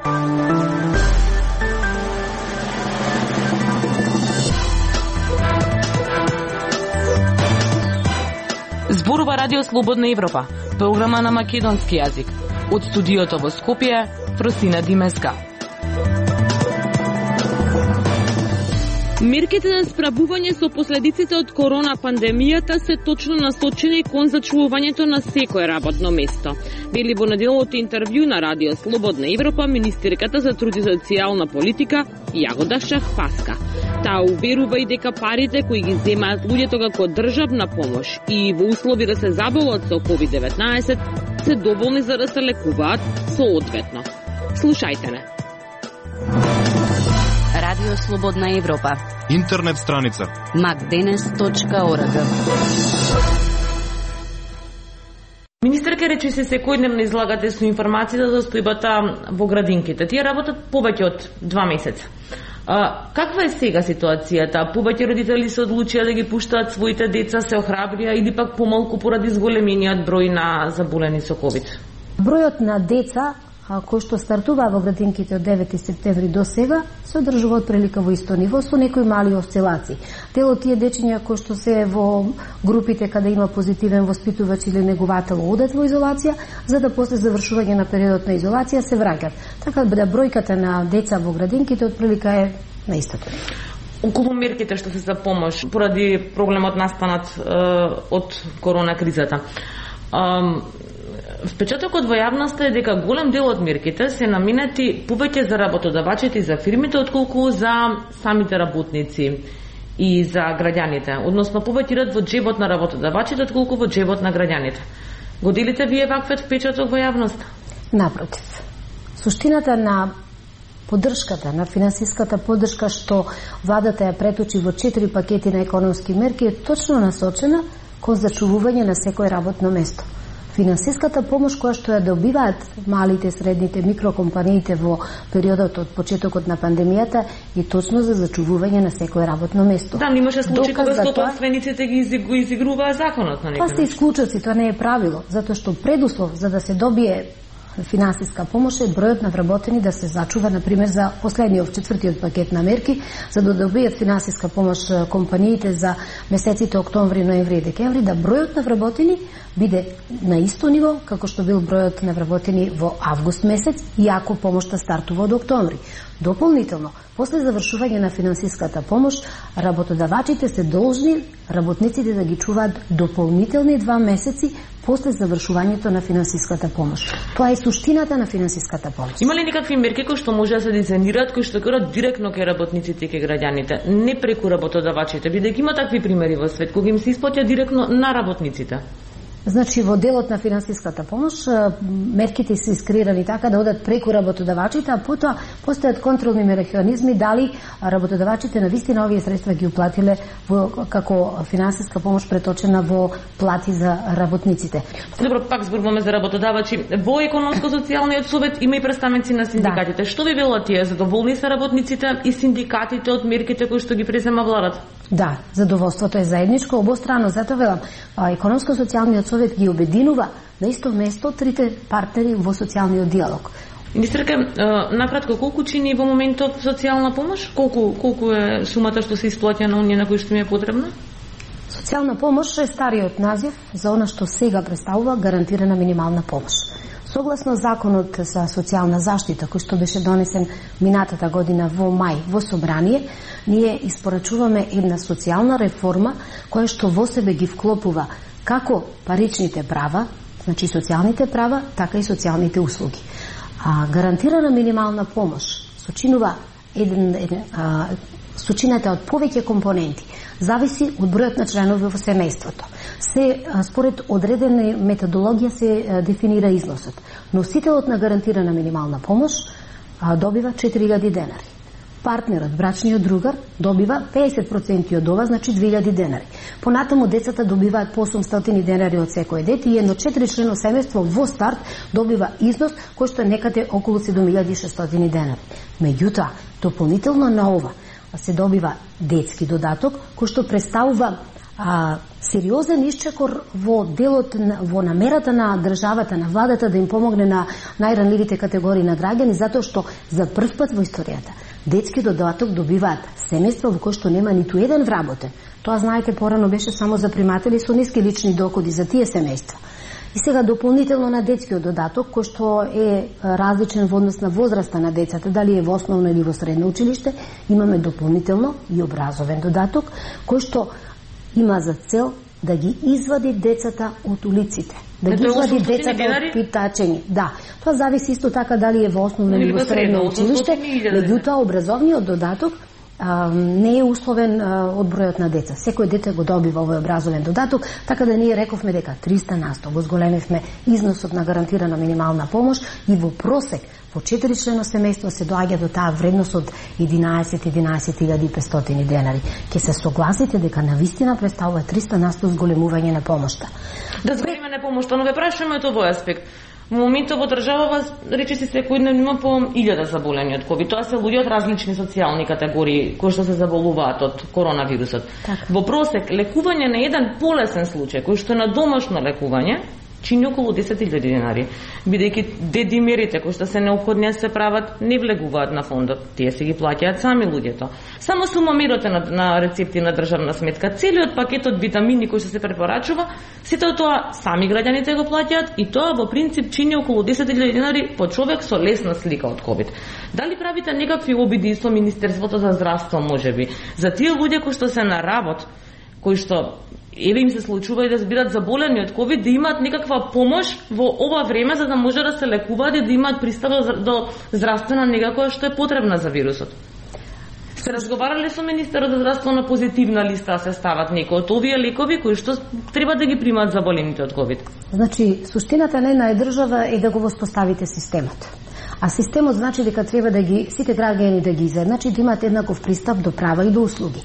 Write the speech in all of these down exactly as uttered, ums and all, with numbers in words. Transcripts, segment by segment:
Зборува Радио Слободна Европа, програма на македонски јазик. Од студиото во Скопје, Фросина Димеска. Мерките на справување со последиците од корона пандемијата се точно насочени кон зачувувањето на секое работно место. Вели во неделното интервју на Радио Слободна Европа министерката за труд и социјална политика Јагода Шахпаска. Таа уверува и дека парите кои ги земаат луѓето како државна помош и во услови да се заболат со ковид деветнаесет се доволни за да се лекуваат соодветно. Слушајте не. Радио Слободна Европа. Интернет страница макденес точка орг. Министерка речи се секојдневно излагате со информацијата за состојбата во градинките. Тие работат повеќе од два месеца. А, каква е сега ситуацијата? Повеќе родители се одлучија да ги пуштаат своите деца, се охрабрија или пак помалку поради зголемениот број на заболени со ковид? Бројот на деца кои што стартуваа во градинките од девети септември до сега се одржува отприлика во исто ниво со некои мали осцилации. Дел од тие дечиња кои што се во групите каде има позитивен воспитувач или негувател одат во изолација, за да после завршување на периодот на изолација се враќаат. Така да бројката на деца во градинките отприлика е на истото ниво. Околу мерките што се за помош поради проблемот настанат е, од корона кризата. Е, Впечатокот во јавноста е дека голем дел од мерките се наменети повеќе за работодавачите и за фирмите, отколку за самите работници и за граѓаните. Односно, повеќе идат во джебот на работодавачите, отколку во джебот на граѓаните. Го делите вие ваквиот впечаток во јавноста? Напротив. Суштината на поддршката, на финансиската поддршка што владата ја преточи во четири пакети на економски мерки е точно насочена кон зачувување на секој работно место. Финансиската помош која што ја добиваат малите, средните, микрокомпаниите во периодот од почетокот на пандемијата е точно за зачувување на секое работно место. Да, имаше случаи кога собствениците ги изигруваа законот на некој. Тоа се исклучоци, тоа не е правило, затоа што предуслов за да се добие финансиска помош е бројот на вработени да се зачува, например, за последниот четвртиот пакет на мерки, за да добијат финансиска помош компаниите за месеците октомври, ноември и декември, да бројот на вработени биде на исто ниво како што бил бројот на вработени во август месец, иако помошта стартува од октомври. Дополнително, после завршување на финансиската помош, работодавачите се должни работниците да ги чуваат дополнителни два месеци после завршувањето на финансиската помош. Тоа е суштината на финансиската помош. Има ли некакви мерки кои што може да се дизајнираат, кои што каат директно кај работниците и кај граѓаните, не преку работодавачите, бидејќи има такви примери во свет кога им се исплаќа директно на работниците? Значи, во делот на финансиската помош, мерките се искреирани така да одат преку работодавачите, а потоа постојат контролни механизми дали работодавачите на вистина овие средства ги уплатиле во, како финансиска помош преточена во плати за работниците. Добро, пак зборуваме за работодавачи. Во економско-социјалниот совет има и представници на синдикатите. Да. Што ви велат тие? Задоволни се работниците и синдикатите од мерките кои што ги презема владата? Да, задоволството е заедничко, обострано. Затоа велам, економско-социјалниот совет ги обединува на исто место трите партнери во социјалниот диалог. Министерка, накратко, колку чини во моментов социјална помош? Колку колку е сумата што се исплаќа на оние на кои што ми е потребна? Социјална помош е стариот назив за она што сега представува гарантирана минимална помош. Согласно законот за социјална заштита, кој што беше донесен минатата година во мај во собрание, ние испорачуваме една социјална реформа која што во себе ги вклопува како паричните права, значи социјалните права, така и социјалните услуги. А гарантирана минимална помош сочинува еден, еден а, сочината од повеќе компоненти. Зависи од бројот на членови во семејството. Се според одредена методологија се дефинира износот. Носителот на гарантирана минимална помош а, добива четири илјади денари. Партнерот, брачниот другар, добива педесет проценти од ова, значи две илјади денари. Понатаму децата добиваат по осумстотини денари од секој дете и едно четиричлено семејство во старт добива износ кој што е некаде околу седум илјади и шестстотини денари. Меѓутоа, дополнително на ова се добива детски додаток кој што представува а, сериозен исчекор во делот, во намерата на државата, на владата да им помогне на најранливите категории на граѓани, затоа што за прв пат во историјата детски додаток добиваат семејства во кои што нема ниту еден вработен. Тоа, знаете, порано беше само за приматели со ниски лични доходи за тие семејства. И сега дополнително на детскиот додаток, кој што е различен во однос на возраста на децата, дали е во основно или во средно училиште, имаме дополнително и образовен додаток, кој што има за цел да ги извади децата од улиците. Да ги извади децата од питачење. Да, тоа зависи исто така дали е во основно или во средно училиште, меѓутоа образовниот додаток а, не е условен а, од бројот на деца. Секој дете го добива овој образовен додаток, така да ние рековме дека триста на сто го зголемивме износот на гарантирана минимална помош и во просек во четиричлено семејство се доаѓа до таа вредност од единаесет илјади и петстотини денари. Ке се согласите дека навистина представува триста на сто зголемување на помошта. Да зголемиме на помошта, но ве прашуваме од овој аспект. Во моментот во државава рече си секојдневно има по илјада заболени од ковид. Тоа се луѓе од различни социјални категории кои што се заболуваат од коронавирусот. Так. Во просек лекување на еден полесен случај кој што е на домашно лекување чини околу десет илјади денари, бидејќи дедимерите кои што се неопходни се прават не влегуваат на фондот, тие се ги плаќаат сами луѓето. Само сумомерите на, на рецепти на државна сметка, целиот пакет од витамини кои што се препорачува, сите тоа сами граѓаните го плаќаат и тоа во принцип чини околу десет илјади денари по човек со лесна слика од ковид. Дали правите некакви обиди со Министерството за здравство можеби за тие луѓе кои што се на работ, кои што еве им се случува и да збират заболени од ковид, да имаат некаква помош во ова време за да може да се лекуваат и да имаат пристап до здравствена нега која што е потребна за вирусот? Се разговарале со Министерот за здравство на позитивна листа се стават некои од овие лекови кои што треба да ги примаат заболените од ковид? Значи, суштината на една држава е да го воспоставите системот. А системот значи дека треба да ги сите граѓани да ги изедначи, да имаат еднаков пристап до права и до услуги.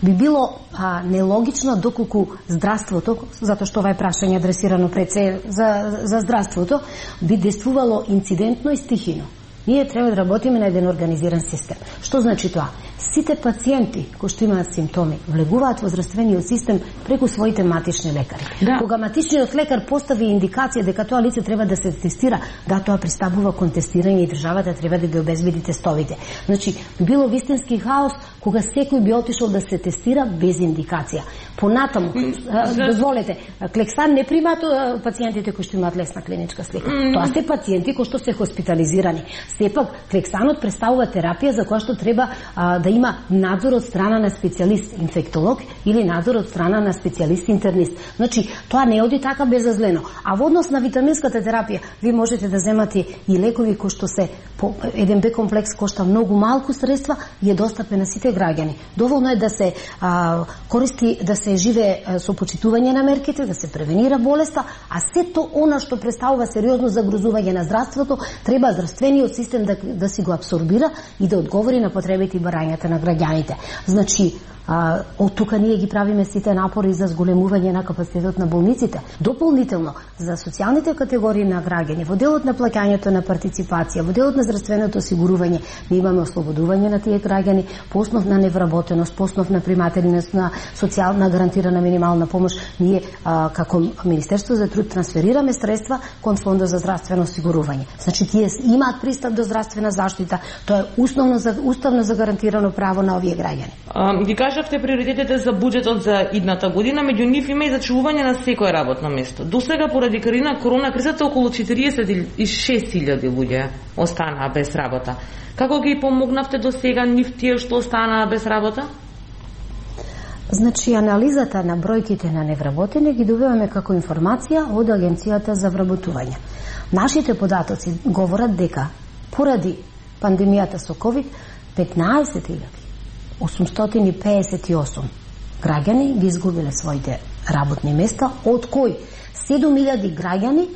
Би било а, нелогично доколку здравството, затоа што ова е прашање адресирано пред се за, за здравството, би действувало инцидентно и стихино. Ние треба да работиме на еден организиран систем. Што значи тоа? Сите пациенти кои што имаат симптоми влегуваат во здравствениот систем преку своите матични лекари. Да. Кога матичниот лекар постави индикација дека тоа лице треба да се тестира, да, тоа пристапува кон тестирање и државата треба да ги обезбеди тестовите. Значи, би било вистински хаос кога секој би отишол да се тестира без индикација. Понатаму, дозволете, Клексан не примаат пациентите кои што имаат лесна клиничка слика. Mm. Тоа се пациенти кои што се хоспитализирани. Сепак, Клексанот представува терапија за која што треба а, да има надзор од страна на специјалист инфектолог или надзор од страна на специјалист интернист. Значи, тоа не оди така безазлено. А во однос на витаминската терапија, ви можете да земате и лекови кои што се по еден Б комплекс кошта многу малку средства и е достапен на сите граѓани. Доволно е да се а, користи, да се живее а, со почитување на мерките, да се превенира болеста, а сето она што представува сериозно загрозување на здравството, треба здравствениот систем да, да си го абсорбира и да одговори на потребите и барањата на граѓаните. Значи, а, од тука ние ги правиме сите напори за зголемување на капацитетот на болниците. Дополнително, за социјалните категории на граѓани, во делот на плаќањето на партиципација, во делот на здравственото осигурување, ние имаме ослободување на тие граѓани по основ на невработеност, по основ на примателеност на социјална гарантирана минимална помош. Ние, а, како Министерство за труд, трансферираме средства кон Фондот за здравствено осигурување. Значи, тие имаат пристап до здравствена заштита, тоа е основно за, уставно загарантирано право на овие граѓани. А, ги кажавте приоритетите за буџетот за идната година, меѓу нив има и зачувување на секое работно место. До сега поради корона кризата околу четириесет и шест илјади луѓе останаа без работа. Како ги помогнавте до сега нив тие што останаа без работа? Значи, анализата на бројките на невработени ги добиваме како информација од Агенцијата за вработување. Нашите податоци говорат дека поради пандемијата со ковид петнаесет илјади осумстотини и педесет и осум граѓани ги изгубиле своите работни места, од кои седум илјади граѓани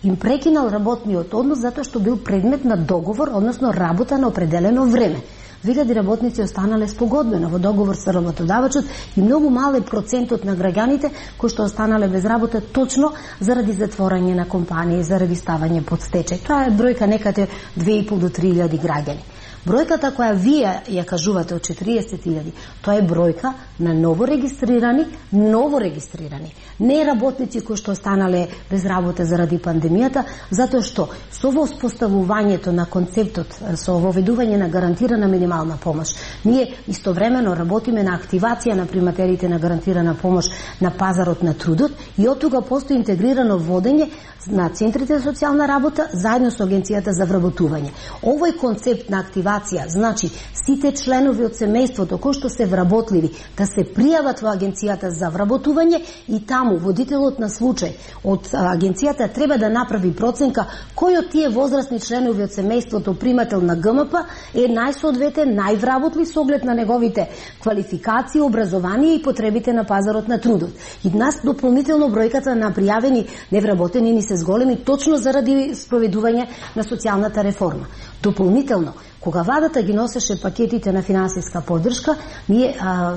им прекинал работниот однос затоа што бил предмет на договор, односно работа на определено време. Вигади работници останале спогодбено во договор со работодавачот и многу мал е процентот на граѓаните кои што останале без работа точно заради затворање на компании, заради ставање под стечај. Тоа е бројка некаде две и пол до три илјади граѓани. Бројката која вие ја кажувате од четириесет илјади, тоа е бројка на ново регистрирани, ново регистрирани, не работници кои што останале без работа заради пандемијата, затоа што со воспоставувањето на концептот, со воведување на гарантирана минимална помош, ние истовремено работиме на активација на приматерите на гарантирана помош на пазарот на трудот и од тога постои интегрирано водење на центрите за социјална работа заедно со Агенцијата за вработување. Овој концепт на активација значи сите членови од семејството кои што се вработливи да се пријават во Агенцијата за вработување и таму водителот на случај од Агенцијата треба да направи проценка кој од тие возрастни членови од семејството примател на Г М П е најсоодветен, највработлив со оглед на неговите квалификации, образование и потребите на пазарот на трудот. И нас дополнително бројката на пријавени невработени ни се зголеми точно заради спроведување на социјалната реформа. Дополнително, кога владата ги носеше пакетите на финансиска поддршка, ние а,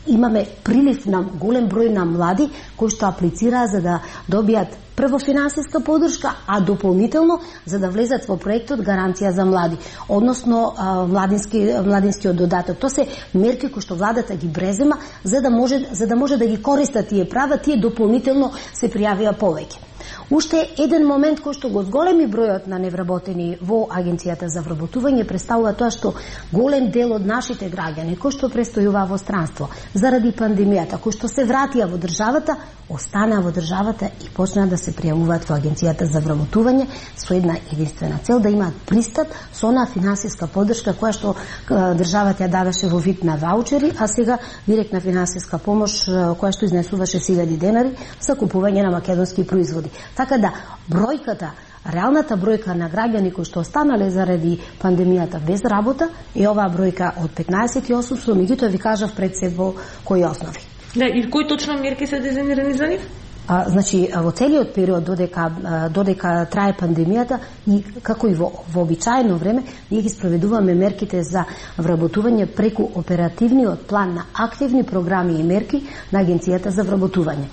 имаме прилив на голем број на млади кои што аплицираа за да добијат прво финансиска поддршка, а дополнително за да влезат во проектот Гаранција за млади, односно а, младински младинскиот додаток. Тоа се мерки кои што владата ги презема за да може за да може да ги користат тие права, тие дополнително се пријавија повеќе. Уште еден момент кој што го зголеми бројот на невработени во Агенцијата за вработување представува тоа што голем дел од нашите граѓани кои што престојуваа во странство заради пандемијата, кои што се вратија во државата, останаа во државата и почнаа да се пријавуваат во Агенцијата за вработување со една единствена цел да имаат пристап со онаа финансиска поддршка која што државата ја даваше во вид на ваучери, а сега директна финансиска помош која што изнесуваше илјади денари за купување на македонски производи. Така да, бројката, реалната бројка на граѓани кои што останале заради пандемијата без работа е оваа бројка од петнаесет и осум, со меѓутоа ви кажав пред се во кои основи. Да, и кои точно мерки се дизајнирани за нив? А, значи, во целиот период додека, додека трае пандемијата и како и во вообичаено време, ние ги спроведуваме мерките за вработување преку оперативниот план на активни програми и мерки на Агенцијата за вработување.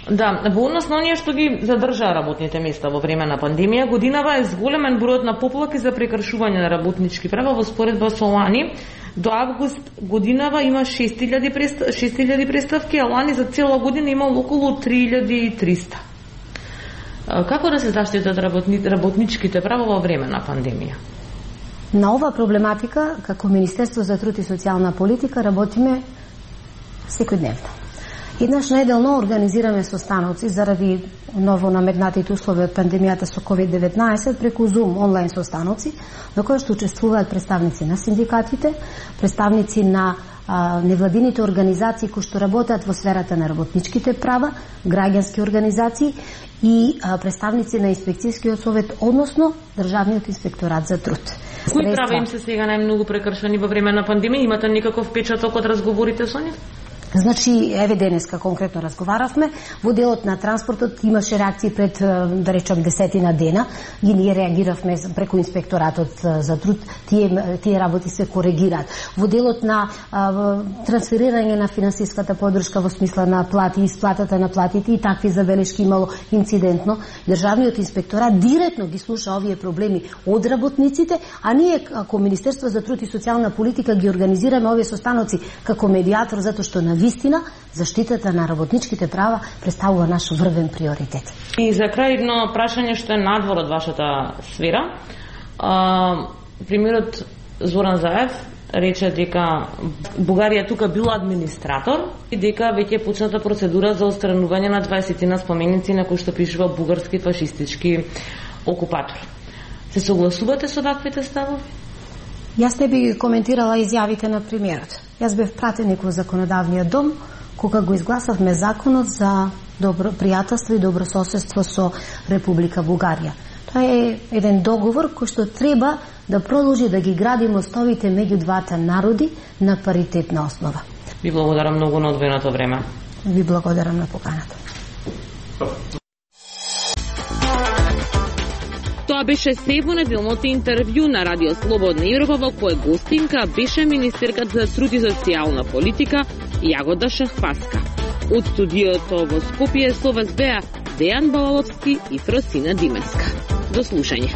Да, во однос на оние што ги задржаа работните места во време на пандемија, годинава е зголемен бројот на поплаки за прекршување на работнички права во споредба со лани. До август годинава има шест илјади преставки, а лани за цела година има околу три илјади и триста. Како да се заштитат работни, работничките права во време на пандемија? На ова проблематика, како Министерство за труд и социјална политика, работиме секојдневно. Еднаш неделно организираме состаноци заради ново наметнатите услови од пандемијата со ковид деветнаесет преку Zoom онлайн состаноци, на кои што учествуваат представници на синдикатите, представници на а, невладините организации кои што работат во сферата на работничките права, граѓански организации и а, представници на инспекцијскиот совет, односно Државниот инспекторат за труд. Кои права им се сега најмногу прекршени во време на пандемија? Имате никаков впечаток од разговорите со нив? Значи, еве денеска конкретно разговаравме, во делот на транспортот имаше реакции пред, да речам, десетина дена и ние реагиравме преку инспекторатот за труд, тие, тие работи се коригираат. Во делот на а, трансферирање на финансиската поддршка во смисла на плати, исплатата на платите и такви забелешки имало инцидентно, Државниот инспекторат директно ги слуша овие проблеми од работниците, а ние како Министерство за труд и социјална политика ги организираме овие состаноци како медијатор, затоа што на вистина заштитата на работничките права представува наш врвен приоритет. И за крај едно прашање што е надвор од вашата сфера. А, премиерот Зоран Заев рече дека Бугарија тука била администратор и дека веќе е почната процедура за отстранување на дваесет споменици на кои што пишува бугарски фашистички окупатор. Се согласувате со ваквите ставови? Јас не би коментирала изјавите на премиерот. Јас бев пратеник во законодавниот дом кога го изгласавме законот за добро пријателство и добрососедство со Република Бугарија. Тоа е еден договор кој што треба да продолжи да ги гради мостовите меѓу двата народи на паритетна основа. Ви благодарам многу на одвоеното време. Ви благодарам на поканата. Тоа беше се во неделното интервју на Радио Слободна Европа, во кое гостинка беше министерката за труд и социјална политика Јагода Шахпаска. Од студиото во Скопје со вас беа Дејан Балаловски и Фросина Димеска. До слушање.